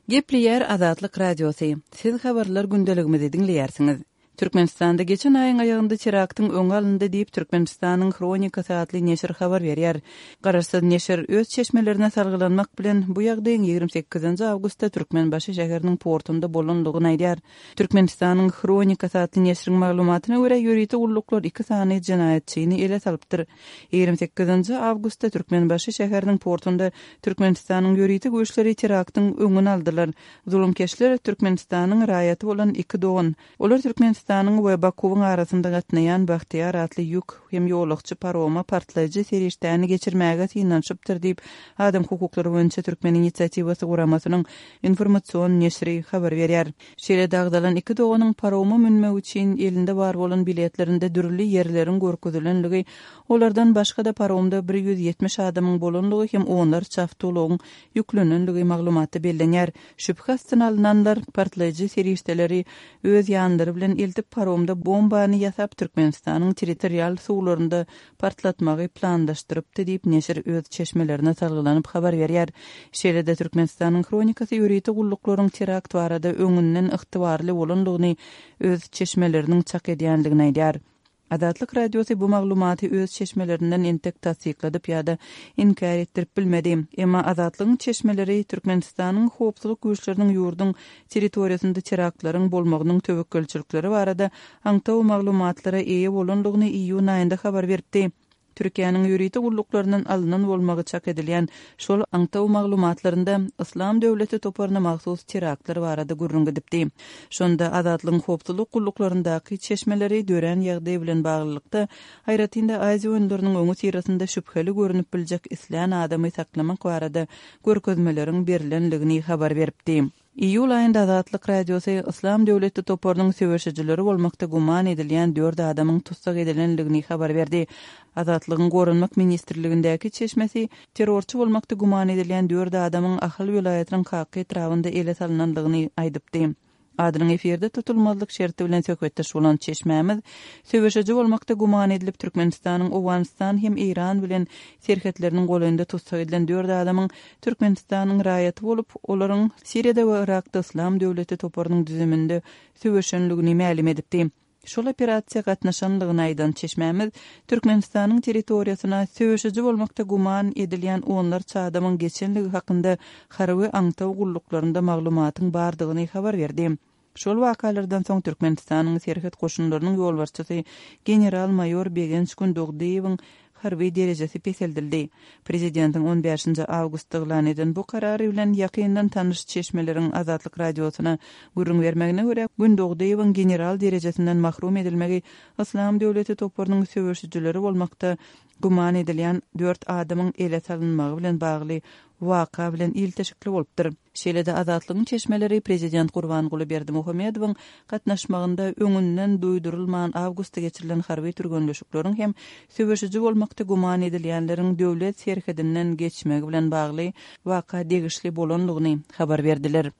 Gepleýär Azatlyk Radiosy, Siz habarlar gündeligimizi diňleýärsiňiz. Türkmenistanda geçen aýyň aýagynda teraktyň öňi alyndy diýip, Türkmenistanyň Hronikasy atly neşir habar berýär. Garaşsyz neşir öz çeşmelerine salgylanmak bilen, bu ýagdaýyň 28 awgustda Türkmenbaşy şäheriniň portunda bolandygyny aýdýar. Türkmenistanyň Hronikasy atly neşiriň maglumatyna görä, ýörite gulluklar iki sany jenaýatçyny ele salypdyr. 28 awgustda Türkmenbaşy şäheriniň portunda Türkmenistanyň ýörite güýçleri teraktyň öňüni aldylar. Zulumkeşler Türkmenistanyň raýaty bolan iki dogan. Olar Türkmenistanyň we Bakuwyň arasynda gatnaýan Bagtyýar atly ýük hem ýolagçy paroma partlaýjy serişdäni geçirmäge synanyşypdyr diýip, Adam hukuklary boýunça Türkmen inisiatiwasy guramasynyň informasion neşiri habar berýär. Şeýle-de agzalan iki doganyň paroma münmek üçin elinde bar bolan biletlerinde dürli ýerleriň görkezilenligi, olardan başga-da paromda 170 adamyň bolanlygy hem onlarça awtoulagyň ýüklenenligi maglumatda bellenýär. Şübhe astyna alnanlar partlaýjy serişdeleri öz ýanlary bilen eltip paromda bombany ýasap Türkmenistanyň territorial suwlarynda partlatmagy planlaşdyrypdy diýip neşir öz çeşmelerine salgylanyp habar berýär. Şeýle-de Türkmenistanyň Hronikasy ýörite gulluklaryň terakt barada öňünden ygtybarly bolandygyny öz çeşmeleriniň çak edýändigini aýdýar. Azatlyk Radiosy bu maglumaty öz çeşmelerinden entek tassykladyp ýa-da inkär etdirip bilmedi. Emma Azatlygyň çeşmeleri Türkmenistanyň howpsuzlyk güýçleriniň ýurduň territoriýasynda teraktlaryň bolmagynyň töwekgelçilikleri barada aňtaw maglumatlara eýe bolandygyny iýun aýynda habar beripdi. Türkiýäniň ýörite gulluklaryndan alnan bolmagy çak edilýän şol aňtaw maglumatlarynda Yslam döwleti toparyna mahsus teraktlar barada gürrüň gidipdi. Şonda Azatlygyň howpsuzlyk gulluklaryndaky çeşmeleri dörän ýagdaý bilen baglylykda, aýratyn-da Aziýa oýunlarynyň öňüsyrasynda şübheli görnüp biljek islän adamy saklamak barada görkezmeleriň berlendigini habar beripdi. Iýul aýynda Azatlyk Radiosy Yslam döwleti toparynyň söweşijileri bolmakda güman edilýän dört adamyň tussag edilendigini habar berdi. Azatlygyň Goranmak ministrligindäki çeşmesi terrorçy bolmakda güman edilýän dört adamyň Ahal welaýatynyň Kaka etrabynda ele salnandygyny aýdypdy. Adynyň efirde tutulmazlyk şerti bilen söhbetdeş bolan çeşmämiz söweşiji bolmakda güman edilip Türkmenistanyň Owganystan hem Eýran bilen serhetleriniň golaýynda tussag edilen dört adamyň Türkmenistanyň raýaty bolup, olaryň Siriýada we Yrakda Yslam döwleti toparynyň düzüminde söweşenligini mälim edipdi. Şol operasiýa gatnaşanlygyny aýdan çeşmämiz, Türkmenistanyň territoriýasyna söweşiji bolmakda güman edilýän onlarça adamyň geçenligi hakynda harby aňtaw gulluklarynda maglumatyň bardygyny habar berdi. Şol wakalardan soň Türkmenistanyň Serhet goşunlarynyň ýolbaşçysy general-maýor Begenç Gündogdyýewiň harby derejesi peseldildi. Prezidentiň on bäşinji awgustda yglan eden bu karary bilen ýakyndan tanyş çeşmeleriň Azatlyk Radiosyna gürrüň bermegine görä, Gündogdyýewiň general derejesinden mahrum edilmegi Yslam döwleti toparynyň söweşijileri bolmakda güman edilýän dört adamyň ele salynmagy bilen bagly waka bilen ilteşikli bolupdyr. Şeýle-de Azatlygyň çeşmeleri prezident Gurbanguly Berdimuhamedowyň gatnaşmagynda öňünden duýdurylman awgustda geçirilen harby türgenleşikleriň hem söweşiji bolmakda güman edilýänleriň döwlet serhedinden geçmegi bilen bagly waka degişli bolandygyny habar berdiler.